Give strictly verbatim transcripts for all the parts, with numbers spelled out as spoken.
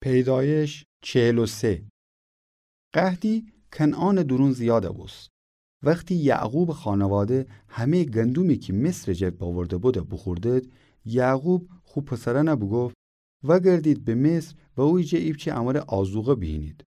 پیدایش چهل و سه. قحطی کنعانٚ دورون زیاد بوست. وختی یعقوبٚ خانواده همه‌یٚ گندومی کی مصرٚ جا باورده بودٚ بوخوردید، یعقوب خو پسرأنَ بوگفت: وأگردید به مصر و اویه جا ایپچه امره آذوقه بیهینید.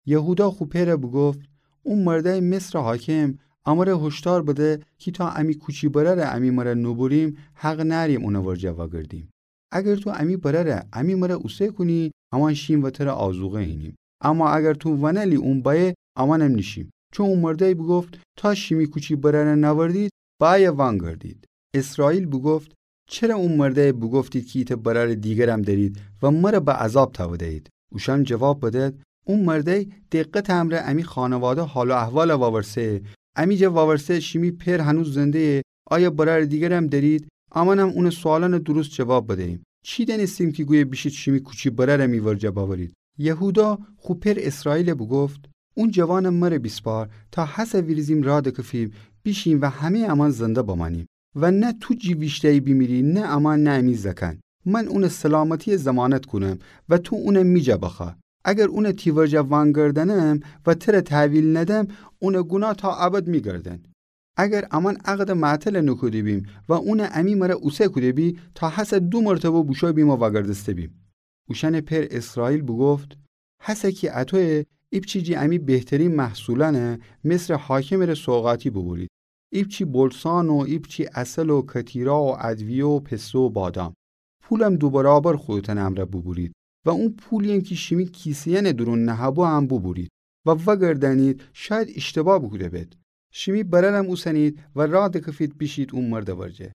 یهودا خو پئرَ بوگفت: او مردأیٚ مصرٚ حاکم امره هشدار بده کی تا امی کوچی برأرَ امی مره نوبریم، حق نأریم اونٚ ورجه وأگردیم. اگر تو امی برأرَ امی مره اوسه کونی، امأن شیم و تره آذوقه هینیم. اما اگر تو ونألی اون بأیه، امأنم نیشیم. چون او مردأی بوگفت: تا شیمی کوچی برأرَ نأوردید، بأیه وأنگردید. اسرائیل بوگفت: چره او مردأی بوگفتید کی ایتأ برأرٚ دیگرم دأرید و مره به عذاب تأوده‌یید؟ اوشأن جواب بدد: او مردأی دقتٚ امرأ امی خانواده حال و احوالَ وأورسه، امی جا وأورسه شیمی پئر هنوز زنده‌یه، آیا برأرٚ دیگرم دأرید؟ امأنم اونٚ سؤالأنٚ درست جواب بدییم. چی دأنستیم کی گویه بیشید شیمی کوچی برأرَ می ورجه بأورید؟ یهودا خو پئر اسرائیلَ بوگفت: اون جوانَ مره بیسپار تا هسه ویریزیم راه دکفیم، بیشیم و همه‌یٚ امأن زنده بمأنیم. و نه تو جی ویشته‌یی بیمیری، نه امأن، نه امی زأکأن. من اونٚ سلامتی‌یَ ضمانت کونم و تو اونَ می جا بخوأ. اگر اونَ تی ورجه وأنگردأنم و تره تحویل ندم، اونٚ گوناه تا ابد می‌گردن. اگر امأن عقدٚ معطلَ نوکوده بیم و اونَ امی مره اوسه کوده بی، تا هسه دو مرتبه بوشو بیم و وأگردسته بیم. اوشأنٚ پئر اسرائیل بوگفت: هسه کی اطویه، ایپچی جی امی بهترین محصولأنَ مصرٚ حاکمٚ ره سوغاتی بوبورید. ایپچی بلسان و ایپچی عسل و کتیرا و ادویه و پسته و بادام. پولم دو برابر خودتأنٚ امرأ بوبورید و اون پولی‌یم کی شیمی کیسه‌یأنٚ دورون نهه‌بو هم بوبورید و وأگردأنید، شاید ایشتباه بوکوده بید. شیمی برأرم اوسنید و راه دکفید بیشید او مردٚ ورجه.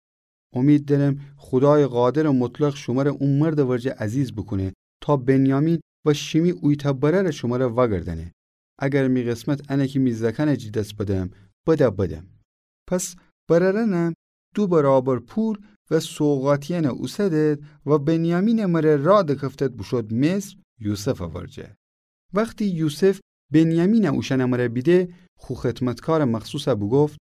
امید دأرم خودایٚ قادرٚ مطلق شمره او مردٚ ورجه عزیز بوکونه تا بنیامین و شیمی اویتأ برأرَ شمره وأگردأنه. اگر می قسمت انه کی می زأکأنَ جی دس بدم، بده بدم. پس برأرأنم دو برابر پول و سوغاتیأنَ اوسدد و بنیامینٚ مره راه دکفتد بوشود مصر یوسفٚ ورجه. وختی یوسف بنیامینَ اوشأنٚ مره بیده، خو خدمتکارٚ مخصوصَ بوگفت: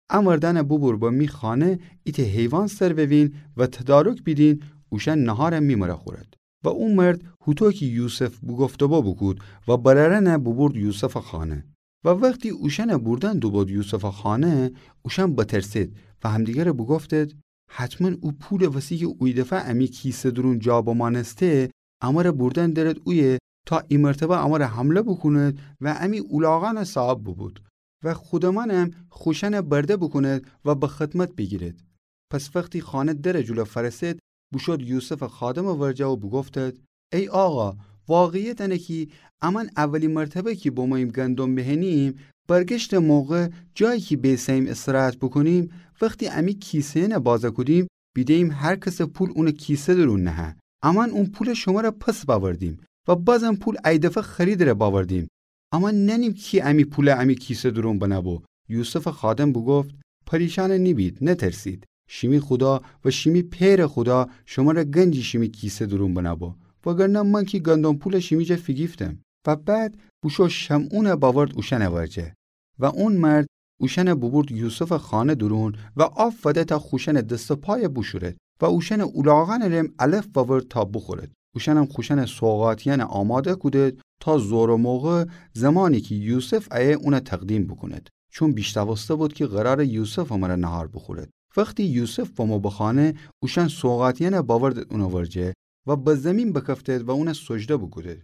ا مردأنَ بوبور به می خانه، ایتأ حیوان سر ووین و تدارک بیدین، اوشأن نهارَ می مره خورد. و او مرد هوطو کی یوسف بوگفته‌بو بوکود و برأرأنَ بوبورد یوسفٚ خانه. و وختی اوشأنَ بوردن دوبود یوسفٚ خانه، اوشأن بترسید و همدیگرَ بوگفتید: حتماً او پولٚ وسی کی اویدفعه امی کیسه دورون جا بمأنسته، امره بوردن دأرد اویه تا ای مرتبه امره حمله بوکوند و امی اولاغأنٚ صاحب بوبود و خودمأنم خوشأنَ برده بوکوند و به خدمت بیگیرد. پس وختی خانه درٚ جلو فأرسد، بوشود یوسفٚ خادمٚ ورجه و بوگفتد: ای آقا، واقعیت انه کی امأن اولی مرتبه کی بموییم گندم بهنیم، برگشتٚ موقع جایی کی بیسه‌ییم استراحت بوکونیم، وختی امی کیسه‌یأنَ بازَ کودیم، بیده‌ییم هر کسٚ پول اونٚ کیسه دورون نهه. امأن اون پولَ شمره پس بأوردیم و بازم پول ای دفعه خریدٚ ره بأوردیم. امأن نأنیم کی امی پولَ امی کیسه دورون بنه‌بو. یوسفٚ خادم بوگفت: پریشان نیبید، نترسید. شیمی خودا و شیمی پئرٚ خودا شمره گنجی شیمی کیسه دورون بنه‌بو. وگرنه من کی گندم پولَ شیمی جا فیگیفتم. و بعد بوشو شمعونَ بأورد اوشأنٚ ورجه. و اون مرد اوشأنَ بوبورد یوسفٚ خانه دورون و آففده تا خوشأنٚ دس و پایَ بوشورد و اوشأنٚ اولاغأنٚ رم علف بأورد تا بوخورد. اوشأنم خوشأنٚ سوغاتیأنَ آماده کودد تا زورٚ موقع، زمانی کی یوسف ایه اونَ تقدیم بوکوند. چون بیشنوسته‌بود کی قرارٚ یوسفٚ مره نهار بوخورد. وختی یوسف بمو به خانه، اوشأن سوغاتیأنَ بأوردد اونٚ ورجه و به زیمین بکفتد و اونَ سجده بوکودد.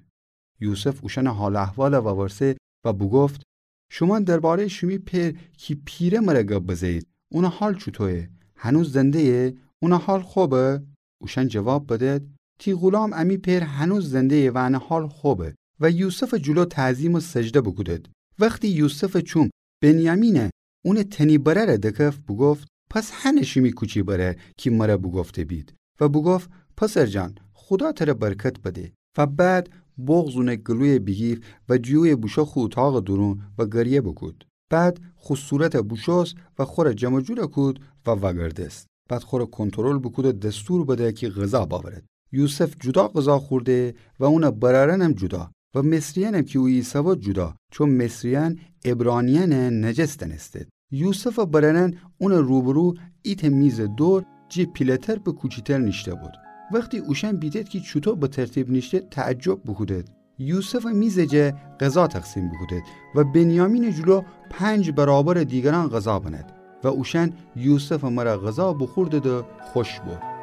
یوسف اوشأنٚ حال و احوالَ وورسه و بوگفت: شومأن درباره‌یٚ شیمی پئر کی پیره مره گب بزه‌یید، اونٚ حال چوطویه؟ هنوز زنده‌یه؟ اونٚ حال خوبه؟ اوشأن جواب بدد: تی غولام امی پئر هنوز زنده‌یه و انٚ حال خوبه. و یوسفٚ جلو تعظیم و سجده بوکودد. وختی یوسفٚ چوم بنیامینَ، اونٚ تنی برأرَ دکفت، بوگفت: پس هنه شیمی کوچی برأر کی مره بوگفته بید. و بوگفت: پسر جان، خودا تره برکت بده. و بعد بغض اونٚ گلویَ بیگیفت و جویه بوشو خو اوطاقٚ دورون و گریه بوکود. بعد خو صورتَ بوشوست و خوره جمع جور کود و وأگردست. بعد خوره کنترل بوکود و دستور بده کی غذا بأورد. یوسف جدا غذا خورده و اونٚ برأرأنم جدا و مصریأنم کی او ایسه‌بو جدا، چون مصریأن عبرانیأنَ نجس دأنستد. یوسفٚ برأرأن اونٚ روبرو ایتأ میزٚ دور جٚه پیله‌تر به کوچیتر نیشته‌بود. وختی اوشأن بیدد کی چوطو به ترتیب نیشتد، تعجب بوکودد. یوسفٚ میزٚ جا غذا تقسیم بوکودد و بنیامینٚ جلو پنج برابرٚ دیگرأن غذا بند و اوشأن یوسفٚ مره غذا بوخوردد و خوش بو.